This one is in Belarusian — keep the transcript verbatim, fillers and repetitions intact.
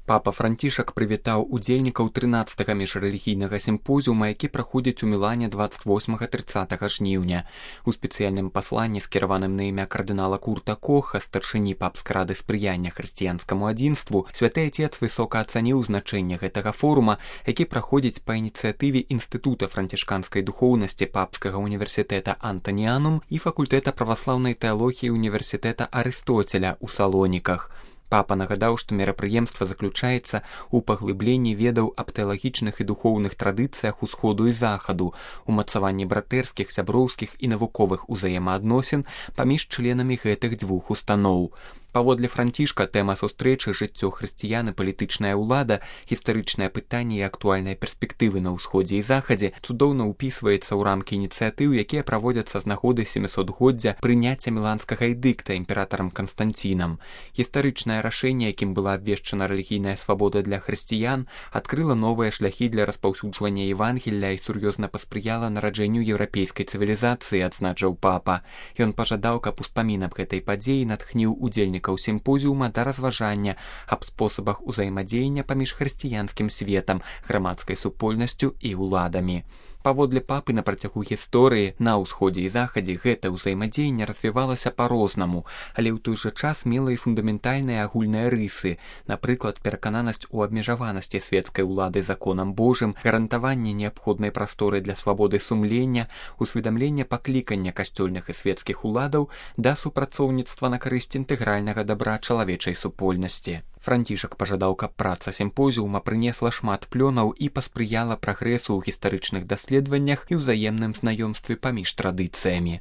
Папа Францішак прывітаў удзельнікаў трынаццатага міжрэлігійнага сімпозіума, які праходзіць у Мілане дваццаць восьмага трыццатага жніўня. У спецыяльным пасланні, скіраваным на імя кардынала Курта Коха, старшыні папскай рады спрыяння хрысціянскаму адзінству, святы Отец высока ацаніў значэнне гэтага форума, які праходзіць па ініцыятыве Інстытута францішканскай духоўнасці Папскага універсітэта Антаніанум і факультэта праваслаўнай тэалогіі універсітэта Арыстоцеля ў Салоніках. Папа нагадаў, што мерапрыемства заключаецца ў паглыбленні ведаў аб тэалагічных і духоўных традыцыях усходу і захаду, умацаванні братэрскіх, сяброўскіх і навуковых узаемаадносін паміж членамі гэтых дзвюх устаноў. Паводле Францішка тэма сустрэчы «Жыццё хрысціян і палітычная ўлада, гістарычнае пытанне і актуальныя перспектывы на ўсходзе і захадзе» цудоўна ўпісваецца ў рамкі ініцыятыў, якія праводзяцца з нагоды сямісотгоддзя прыняцця міланскага эдыкта імператарам Канстанцінам. Гістарычнае рашэнне, якім была абвешчана рэлігійная свабода для хрысціян, адкрыла новыя шляхі для распаўсюджвання Евангелля і сур'ёзна паспрыяла нараджэнню еўрапейскай цывілізацыі, адзначыў папа. Ён пажадаў, каб успамін аб гэтай падзеі натхніў удзельнікаў сімпозіума да разважання аб спосабах узаемадзеяння паміж хрысціянскім светам, грамадскай супольнасцю і ўладамі. Паводле папы, на працягу гісторыі на ўсходзе і захадзе гэта ўзаемадзеянне развівалася па-рознаму, але ў той жа час мела і фундаментальныя агульныя рысы, напрыклад, перакананасць у абмежаванасці свецкай улады законам Божым, гарантаванне неабходнай прасторы для свабоды сумлення, усведамленне паклікання касцёльных і свецкіх уладаў да супрацоўніцтва на карысць інтэгральнага дабра чалавечай супольнасці. Францішак пажадаў, каб праца сімпозіума прынесла шмат плёнаў і паспрыяла прагрэсу ў гістарычных даследаваннях і ўзаемным знаёмстве паміж традыцыямі.